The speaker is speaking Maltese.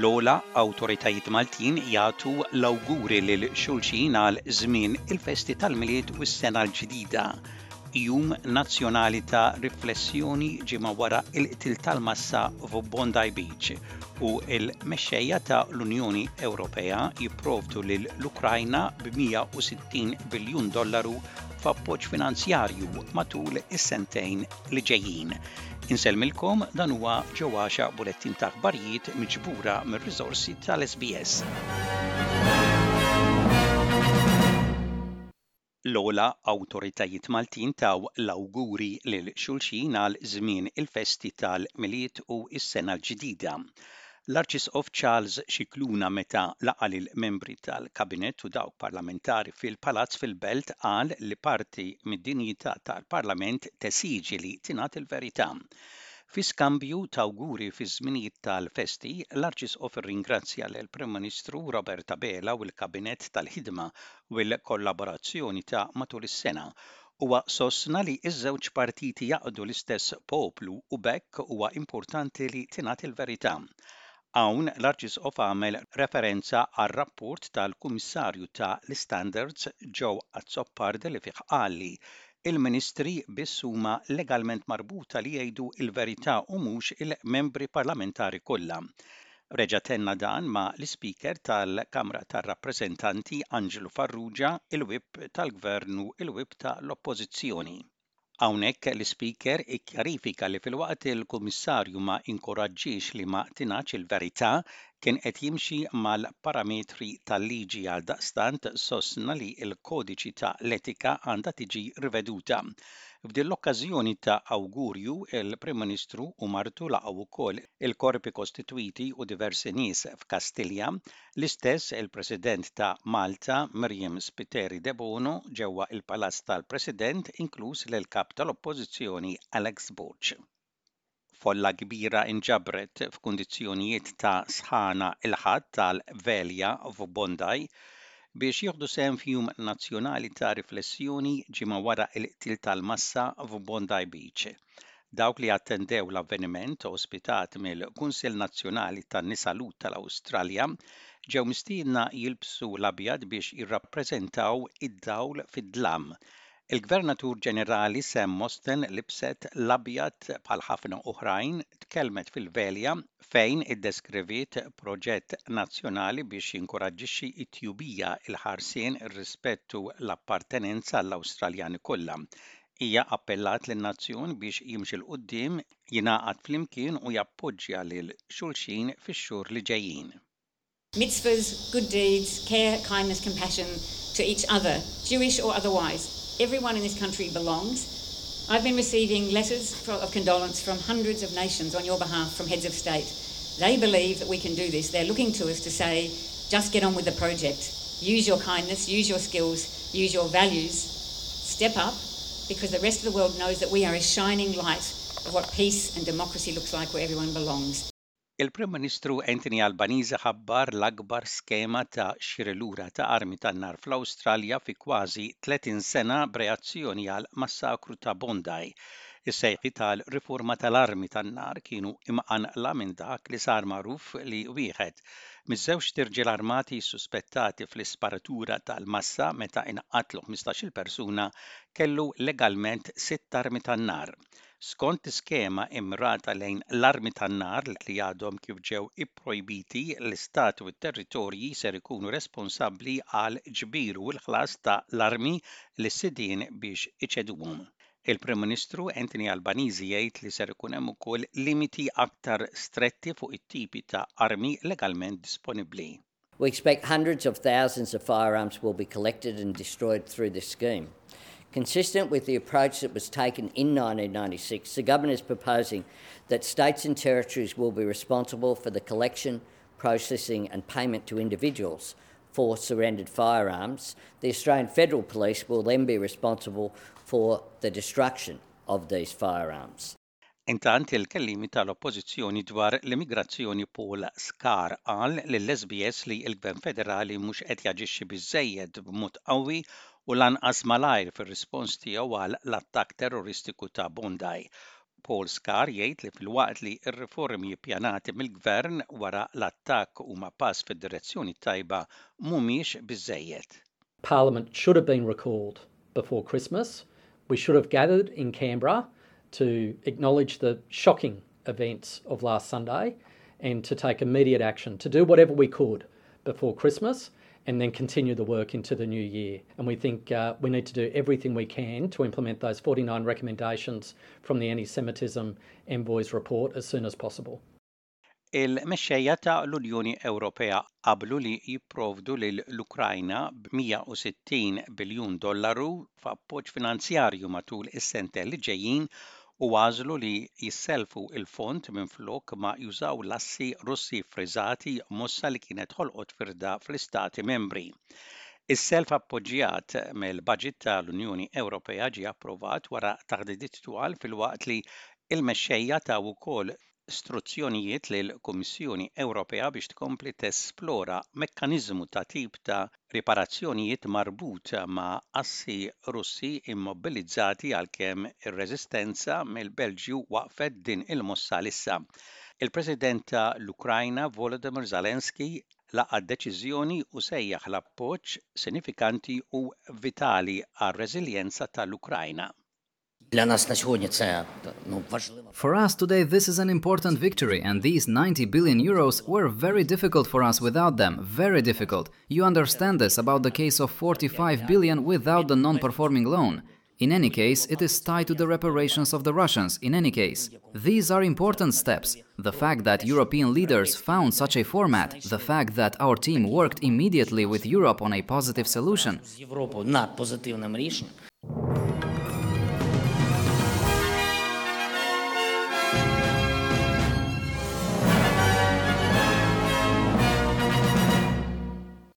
L-ogħla awtoritajiet Maltin jagħtu l-awguri lil xulxin għal żmien il-festi tal-Milied u s-Sena l-Ġdida. Jum nazzjonali ta' riflessjoni ġimgħa wara l-qtil tal-massa f'Bondi Beach u l-mexxejja ta' l-Unjoni Ewropea jipprovdu lil l-Ukrajna b'160 biljun dollaru f'appoġġ finanzjarju matul is-sentejn li ġejjin. Insellmilkom dan huwa Ġo Għaxa bulettin ta' aħbarijiet miġbura mir-riżorsi tal-SBS. L-ogħla awtoritajiet Maltin taw l-awguri lil xulxin għal żmien il-festi tal-Milied u s-Sena l-Ġdida. L-Arċisqof Charles Scicluna meta laqa' lill-membri tal-Kabinett u dawk parlamentari fil-Palazz fil-Belt qal li parti mid-dinjità tal-Parlament tesiġi li tingħad il-verità. Fi skambju t'awguri fiż-żminijiet tal-festi, l-Arċisqof irringrazzja lill-Prim Ministru Robert Abela u l-Kabinett tal-ħidma u l-kollaborazzjoni ta' matul is-sena. Huwa sostna li ż-żewġ partiti jaqdu l-istess poplu u b'hekk huwa importanti li tingħad il-verità. Hawn l-Arċisqof għamel referenza għar-rapport tal-Kummissarju ta' l-Istandards Joe Azzopardi li fih qal li l-Ministri biss huma legalment marbuta li jgħidu l-verità u mhux il-membri parlamentari kollha. Reġa' tenna dan ma' l-Ispeaker tal-Kamra tar-Rappreżentanti Anġlu Farrugia, il-Whip tal-Gvern u l-Whip ta' l-Oppożizzjoni. Hawnhekk l-Ispeaker ikkjarifika li filwaqt il-Kummissarju ma inkoraġġiex li ma tingħadx il-verità, kien qed jimxi mal-parametri tal-liġi għaldaqstant sostna li l-kodiċi ta' l-etika għandha tiġi riveduta. F'din l-okkażjoni ta' awgurju, il-Prim Ministru u martu laqgħu wkoll il-korpi kostitwiti u diversi nies f'Kastilja, l-istess il-President ta' Malta Myriam Spiteri Debono ġewwa l-Palazz tal-President inkluż lill-Kap tal-Oppożizzjoni Alex Borg. Folla kbira nġabret f'kundizzjonijiet ta' sħana l-Ħadd għal Velja f'Bondi biex jieħdu sehem f'jum nazzjonali ta' riflessjoni ġimgħa wara l-qtil tal-massa f'Bondi Beach. Dawk li attendew l-avveniment, ospitat mill-Kunsill Nazzjonali tan-Nisa Lhud tal-Awstralja, ġew mistiedna jilbsu l-abjad biex jirrappreżentaw id-dawl fid-dlam Il-Gvernatur Ġenerali Sam Mostyn libset l-abjad bħal ħafna oħrajn, tkellmet fil-Velja fejn iddeskriviet proġett nazzjonali biex jinkoraġġixxi t-tjubija, il-ħarsien, ir-rispett u l-appartenenza għall-Awstraljani kollha. Hija appellat lin-nazzjon biex jimxi 'l quddiem, jingħaqad flimkien u jappoġġja lil xulxin fix-xhur li ġejjin. Mitzvahs, good deeds, care, kindness, compassion to each other, Jewish or otherwise. Everyone in this country belongs. I've been receiving letters of condolence from hundreds of nations on your behalf from heads of state. They believe that we can do this. They're looking to us to say, just get on with the project. Use your kindness, use your skills, use your values. Step up because the rest of the world knows that we are a shining light of what peace and democracy looks like where everyone belongs. Il-Prim Ministru Anthony Albanese ħabbar l-akbar skema ta' xiri lura ta' armi tan-nar fl-Awstralja fi kważi 30 sena b'reazzjoni għall-massakru ta' Bondi. Is-sejħiet għal riforma tal-armi tan-nar kienu imqanqla minn dak li sar magħruf li wieħed miż-żewġt irġiel armati ssuspettati fl-isparatura tal-massa meta inqatlu 15-il persuna kellu legalment sitt armi tan-nar. Skont l-iskema immirata lejn l-armi tan-nar li għadhom kif ġew ipprojbiti, l-Istati u t-territorji ser ikunu responsabbli għall-ġbir u l-ħlas ta' l-armi lis-sidien biex iċeduhom. Il-Prim Ministru Anthony Albanese jgħid li ser ikun hemm ukoll limiti aktar stretti fuq it-tipi ta' armi legalment disponibbli. We expect hundreds of thousands of firearms will be collected and destroyed through this scheme. Consistent with the approach that was taken in 1996, the government is proposing that states and territories will be responsible for the collection, processing and payment to individuals for surrendered firearms. The Australian Federal Police will then be responsible for the destruction of these firearms. Intant il-Kelliemi tal-Oppożizzjoni dwar l-immigrazzjoni Paul Scarr qal lill-SBS li l-Gvern Federali mhux qed jaġixxi biżżejjed b'mod qawwi u lanqas malajr fir-rispons tiegħu għal l-attakk terroristiku ta' Bondi. Paul Scarr jgħid li filwaqt li r-riformi ppjanati mill-gvern wara l-attakk huma pass fid-direzzjoni tajba mhumiex biżejjed. Parliament should have been recalled before Christmas. We should have gathered in Canberra to acknowledge the shocking events of last Sunday and to take immediate action, to do whatever we could before Christmas and then continue the work into the new year. And we think we need to do everything we can to implement those 49 recommendations from the Anti-Semitism Envoy's report as soon as possible. Il-mexxejja ta' l-Unjoni Ewropea qablu li jipprovdu lill-Ukrajna b'160 biljun dollaru f'appoġġ finanzjarju matul is-sentejn li ġejjin u għażlu li jisselfu il-fond minflok ma jużaw l-assi Russi friżati mossa li kienet ħolqot firda fl-istati membri. Is-self appoġġjat mill-budget tal-Unjoni Ewropea ġie approvat wara taħdidiet twal filwaqt li il-mexxejja taw ukoll struzzjonijiet lill-Kummissjoni Ewropea biex tkompli tesplora mekkaniżmu ta' tip ta' riparazzjonijiet marbut ma' assi Russi immobilizzati għalkemm ir-reżistenza mill-Belġju waqfet din il-mossa issa. Il-President ta' l-Ukrajna Volodymyr Zelensky laqa deċiżjoni u sejjaħ l-appoġġ sinifikanti u vitali għar-reżiljenza tal-Ukrajna. For us today this is an important victory and these €90 billion were very difficult for us without them, very difficult. You understand this about the case of 45 billion without the non-performing loan. In any case, it is tied to the reparations of the Russians, in any case. These are important steps. The fact that European leaders found such a format, the fact that our team worked immediately with Europe on a positive solution.